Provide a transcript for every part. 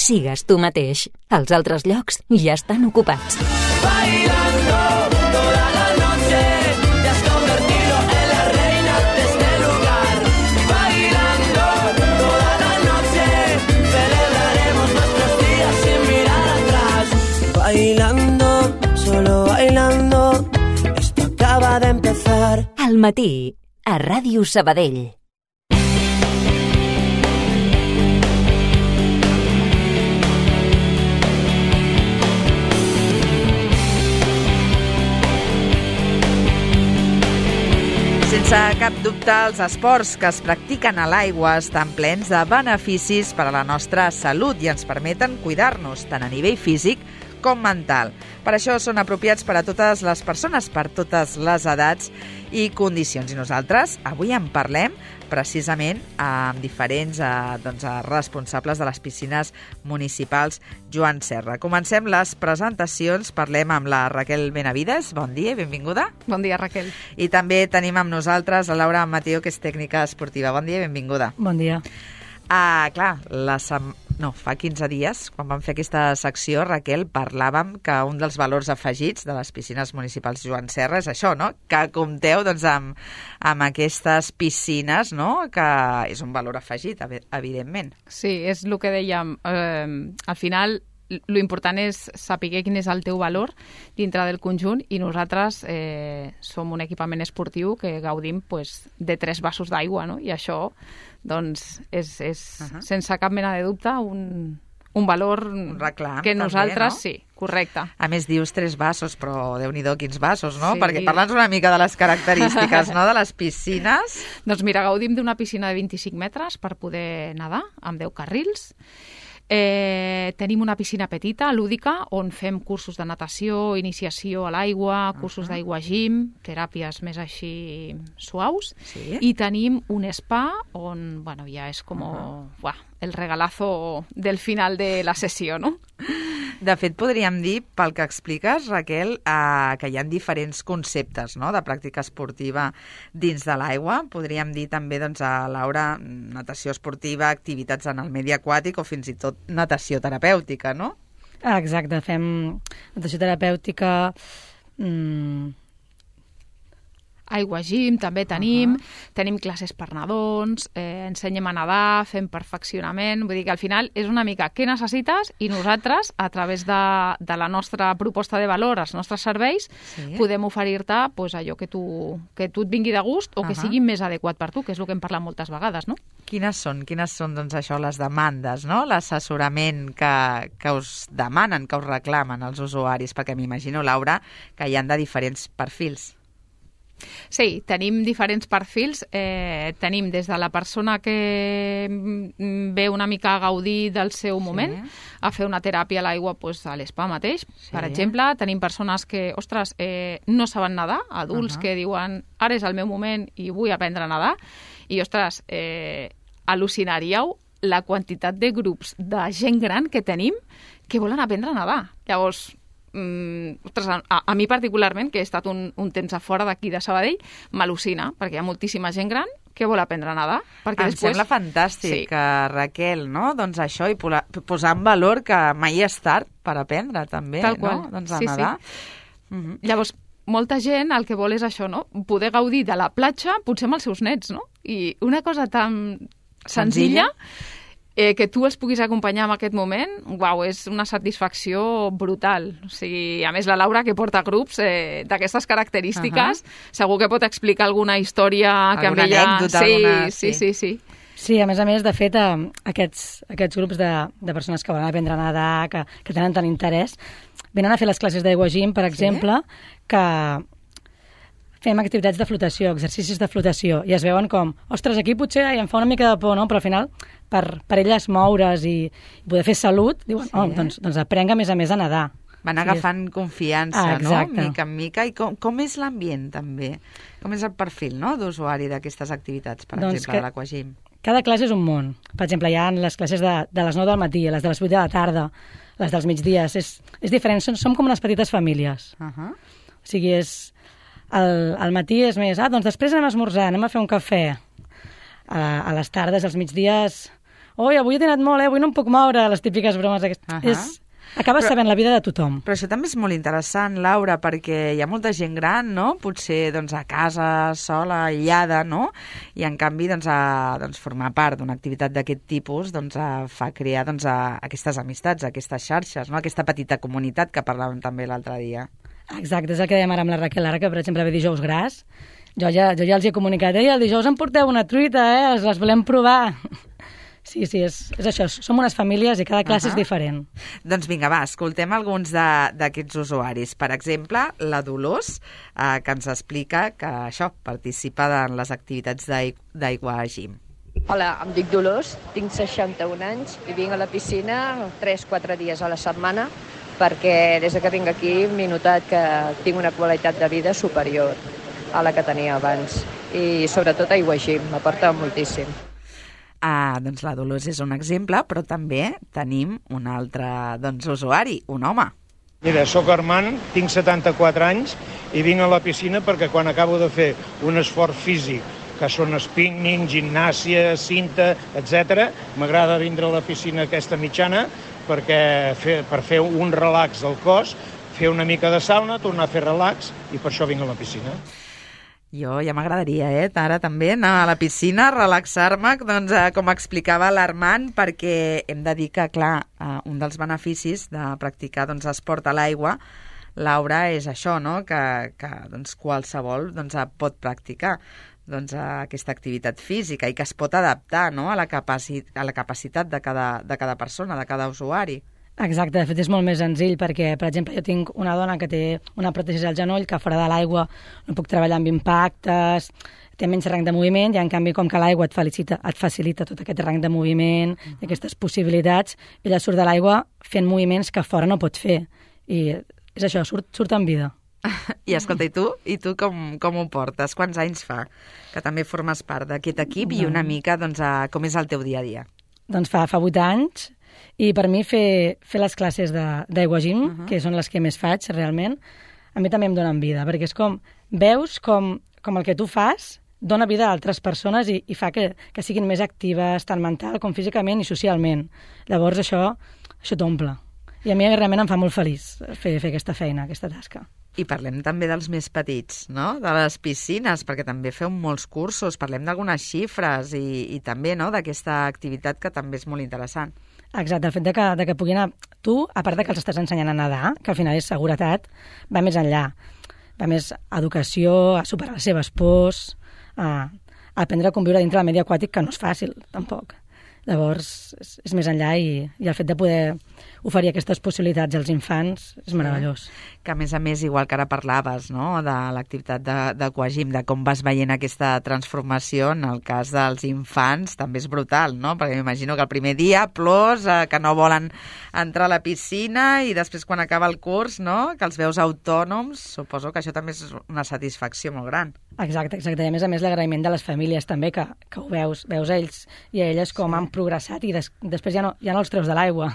sigues tu mateix. Els altres llocs ja estan ocupats. Bailando toda la noche, te has convertido en la reina de este lugar. Bailando toda la noche, celebraremos nuestros días sin mirar atrás. Bailando, solo bailando, esto acaba de empezar. Al matí, a Ràdio Sabadell. Sense cap dubte, els esports que es practiquen a l'aigua estan plens de beneficis per a la nostra salut i ens permeten cuidar-nos tant a nivell físic com mental. Per això són apropiats per a totes les persones, per totes les edats i condicions. I nosaltres avui en parlem precisament amb diferents responsables de les piscines municipals Joan Serra. Comencem les presentacions. Parlem amb la Raquel Benavides. Bon dia i benvinguda. Bon dia, Raquel. I també tenim amb nosaltres la Laura Mateo, que és tècnica esportiva. Bon dia i benvinguda. Bon dia. Clar, fa 15 dies, quan vam fer aquesta secció, Raquel, parlàvem que un dels valors afegits de les piscines municipals Joan Serra és això, no? Que compteu amb aquestes piscines, no? Que és un valor afegit, evidentment. Sí, és el que dèiem. Al final, lo important és saber quin és el teu valor dintre del conjunt i nosaltres som un equipament esportiu que gaudim de 3 vasos d'aigua, no? I això doncs és sense cap mena de dubte un valor un reclam, que nosaltres també, no? Sí, correcte. A més, dius 3 vasos, però Déu-n'hi-do, quins vasos, no? Sí. Perquè parla'ns una mica de les característiques, no?, de les piscines. Doncs mira, gaudim d'una piscina de 25 metres per poder nedar, amb 10 carrils. Tenim una piscina petita, lúdica, on fem cursos de natació, iniciació a l'aigua, cursos d'aigua gym, teràpies més així suaus. Sí. I tenim un spa on, ja és com el regalazo del final de la sessió, no? De fet, podríem dir, pel que expliques, Raquel, que hi ha diferents conceptes, no?, de pràctica esportiva dins de l'aigua. Podríem dir també, a Laura, natació esportiva, activitats en el medi aquàtic o fins i tot natació terapèutica, no? Exacte, fem natació terapèutica, aigua gym també tenim, tenim classes per nadons, ensenyem a nedar, fem perfeccionament, vull dir que al final és una mica què necessites i nosaltres, a través de la nostra proposta de valor, els nostres serveis, podem oferir-te allò que tu et vingui de gust o que sigui més adequat per tu, que és el que hem parlat moltes vegades, no? Quines són, doncs, això, les demandes, no?, l'assessorament que us demanen, que us reclamen els usuaris, perquè m'imagino, Laura, que hi han de diferents perfils. Sí, tenim diferents perfils. Tenim des de la persona que ve una mica a gaudir del seu moment, a fer una teràpia a l'aigua a l'espa mateix, per exemple. Tenim persones que, no saben nedar, adults que diuen ara és el meu moment i vull aprendre a nedar, i, al·lucinaríeu la quantitat de grups de gent gran que tenim que volen aprendre a nedar. Llavors, a mi particularment, que he estat un temps a fora d'aquí de Sabadell, m'al·lucina, perquè hi ha moltíssima gent gran que vol aprendre a nedar. Em sembla fantàstic, Raquel, no? Doncs això, i posar en valor que mai és tard per aprendre, també, tal qual, no? Doncs a nedar. Llavors, molta gent el que vol és això, no? Poder gaudir de la platja, potser amb els seus nets, no? I una cosa tan senzilla que tu els puguis acompanyar en aquest moment, és una satisfacció brutal. O sigui, a més, la Laura, que porta grups d'aquestes característiques, segur que pot explicar alguna història que amb ella... Anècdota, alguna... Sí. Sí, a més, de fet, aquests grups de persones que volen aprendre a nedar, que tenen tant interès, venen a fer les classes d'aigua gym, per exemple, que fem activitats de flotació, exercicis de flotació, i es veuen com, aquí potser em fa una mica de por, no? Però al final, per elles moure's i poder fer salut, diuen, doncs aprenc a més a nedar. Van agafant confiança, no? Mica en mica. I com és l'ambient, també? Com és el perfil, no?, d'usuari d'aquestes activitats, per exemple, de l'Aquagym? Cada classe és un món. Per exemple, hi ha les classes de les 9 del matí, les de les 8 de la tarda, les dels migdies. És diferent, som com unes petites famílies. O sigui, al matí és més, doncs després anem a esmorzar, anem a fer un cafè. A les tardes, als migdies, oi, avui he dinat molt, avui no em puc moure, les típiques bromes aquestes. Acabes sabent la vida de tothom. Però això també és molt interessant, Laura, perquè hi ha molta gent gran, no? Potser doncs, a casa, sola, aïllada, no? I en canvi formar part d'una activitat d'aquest tipus fa crear aquestes amistats, aquestes xarxes, no? Aquesta petita comunitat que parlàvem també l'altre dia. Exacte, és el que dèiem ara amb la Raquel, ara que per exemple ve dijous gras, jo ja els he comunicat, el dijous em porteu una truita, les volem provar. Sí, és això, som unes famílies i cada classe és diferent. Doncs vinga, va, escoltem alguns d'aquests usuaris. Per exemple, la Dolors, que ens explica que això participa en les activitats d'Aigua Gym. Hola, em dic Dolors, tinc 61 anys i vinc a la piscina 3-4 dies a la setmana perquè des que vinc aquí m'he notat que tinc una qualitat de vida superior a la que tenia abans i sobretot Aigua Gym m'aporta moltíssim. Doncs la Dolors és un exemple, però també tenim un altre usuari, un home. Mira, sóc Armand, tinc 74 anys i vinc a la piscina perquè quan acabo de fer un esforç físic, que són spinning, gimnàsia, cinta, etc., m'agrada vindre a la piscina aquesta mitjana per fer un relax del cos, fer una mica de sauna, tornar a fer relax i per això vinc a la piscina. Jo ja m'agradaria, ara també, anar a la piscina, relaxar-me, com explicava l'Armand, perquè hem de dir que, clar, un dels beneficis de practicar esport a l'aigua, Laura, és això, no? que qualsevol pot practicar aquesta activitat física i que es pot adaptar, no? a la capacitat de cada persona, de cada usuari. Exacte, de fet és molt més senzill perquè, per exemple, jo tinc una dona que té una pròtesi al genoll, que fora de l'aigua no puc treballar amb impactes, té menys rang de moviment i en canvi com que l'aigua et facilita tot aquest rang de moviment i aquestes possibilitats, ella surt de l'aigua fent moviments que fora no pot fer i és això, surt en vida. I escolta, i tu com ho portes? Quants anys fa que també formes part d'aquest equip i una mica com és el teu dia a dia? Doncs fa 8 anys. I per mi fer les classes d'Aigua Gym, que són les que més faig realment, a mi també em donen vida, perquè és com, veus com el que tu fas dona vida a altres persones i fa que siguin més actives, tant mental com físicament i socialment. Llavors això t'omple. I a mi realment em fa molt feliç fer aquesta feina, aquesta tasca. I parlem també dels més petits, no? De les piscines, perquè també feu molts cursos, parlem d'algunes xifres i també d'aquesta activitat que també és molt interessant. Exacte, el fet de que puguin anar... Tu, a part de que els estàs ensenyant a nedar, que al final és seguretat, va més enllà. Va més a educació, a superar les seves pors, a aprendre a conviure dintre del medi aquàtic, que no és fàcil, tampoc. Llavors, és més enllà i el fet de poder oferir aquestes possibilitats als infants és meravellós. Que a més, igual que ara parlaves, no?, de l'activitat d'Aquagym, de com vas veient aquesta transformació, en el cas dels infants també és brutal, no?, perquè m'imagino que el primer dia plors, que no volen entrar a la piscina i després quan acaba el curs, no?, que els veus autònoms, suposo que això també és una satisfacció molt gran. Exacte. I a més l'agraïment de les famílies també, que ho veus ells i elles com han progressat i després ja no els treus de l'aigua.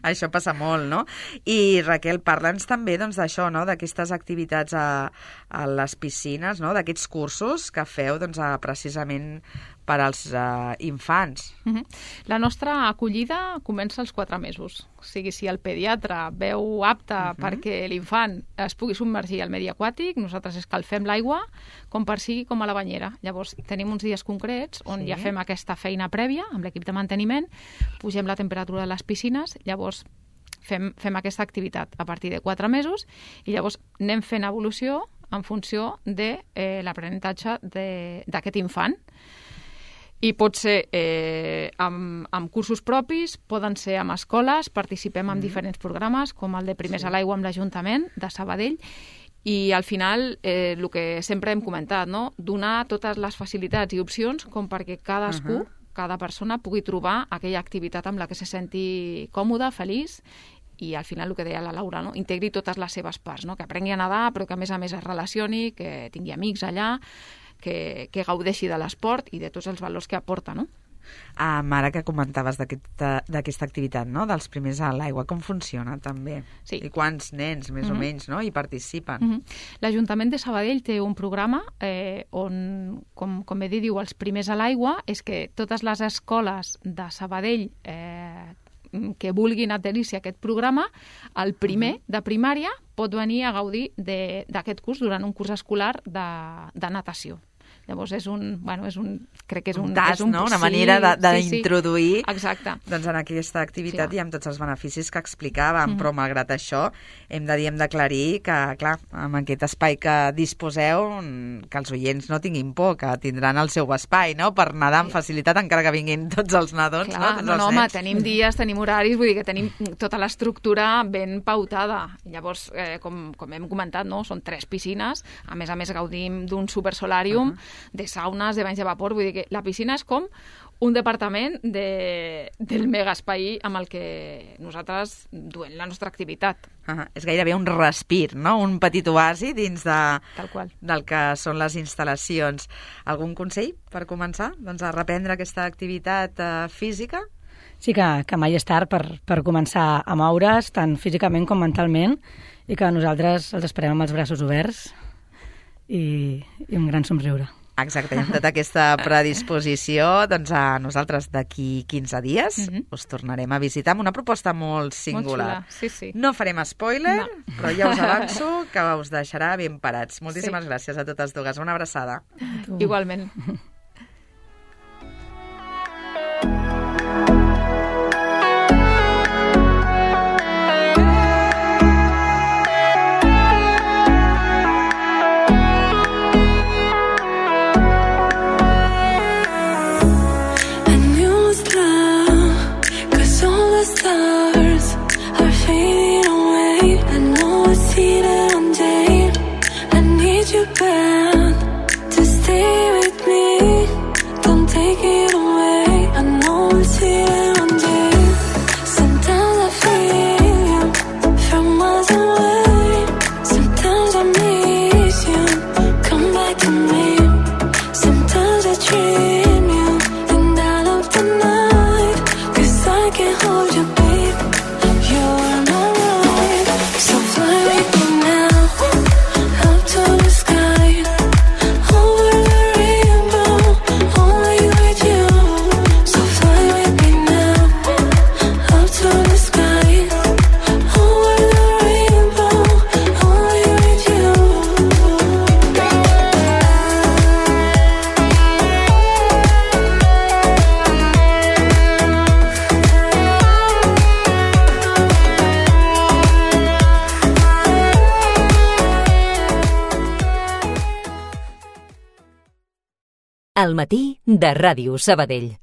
Això passa molt, no? I Raquel, parla'ns també d'això, no?, d'aquestes activitats a les piscines, no?, d'aquests cursos que feu precisament per als infants. La nostra acollida comença als 4 mesos. O sigui, si el pediatre veu apte perquè l'infant es pugui submergir al medi aquàtic, nosaltres escalfem l'aigua com per sigui com a la banyera. Llavors, tenim uns dies concrets on ja fem aquesta feina prèvia amb l'equip de manteniment, pugem la temperatura de les piscines, llavors fem aquesta activitat a partir de 4 mesos i llavors anem fent evolució en funció de l'aprenentatge d'aquest infant. I pot ser amb cursos propis, poden ser amb escoles, participem en diferents programes, com el de Primers a l'Aigua amb l'Ajuntament de Sabadell, i al final el que sempre hem comentat, no?, donar totes les facilitats i opcions com perquè cadascú, cada persona pugui trobar aquella activitat amb la que se senti còmode, feliç, i al final el que deia la Laura, no?, integri totes les seves parts, no?, que aprengui a nedar però que a més es relacioni, que tingui amics allà, que gaudeixi de l'esport i de tots els valors que aporta, no? Ara que comentaves d'aquesta activitat, no?, dels primers a l'aigua, com funciona també? Sí. I quants nens, més o menys, no?, hi participen? L'Ajuntament de Sabadell té un programa on, com bé diu, els primers a l'aigua, és que totes les escoles de Sabadell que vulguin adherir-se a aquest programa, el primer de primària pot venir a gaudir d'aquest curs durant un curs escolar de natació. Llavors crec que és un tast, no? Una manera d'introduir doncs en aquesta activitat i amb tots els beneficis que explicàvem, però malgrat això hem d'aclarir que, clar, amb aquest espai que disposeu, que els oients no tinguin por, que tindran el seu espai, no?, per nedar amb facilitat, encara que vinguin tots els nadons. Clar, home, tenim dies, tenim horaris, vull dir que tenim tota l'estructura ben pautada. Llavors, com hem comentat, no?, són 3 piscines, a més gaudim d'un supersolàrium, de saunes, de banys de vapor, vull dir que la piscina és com un departament del megaespai amb el que nosaltres duem la nostra activitat. És gairebé un respir, no?, un petit oasi dins del que són les instal·lacions. Algun consell per començar a reprendre aquesta activitat física? Sí que mai és tard per començar a moure's, tant físicament com mentalment, i que nosaltres els esperem amb els braços oberts i un gran somriure. Exacte, i amb tota aquesta predisposició, doncs nosaltres d'aquí 15 dies us tornarem a visitar amb una proposta molt singular. Molt xula, sí. No farem spoiler, però ja us avanço que us deixarà ben parats. Moltíssimes gràcies a totes dues. Una abraçada. Igualment. Al matí de Ràdio Sabadell.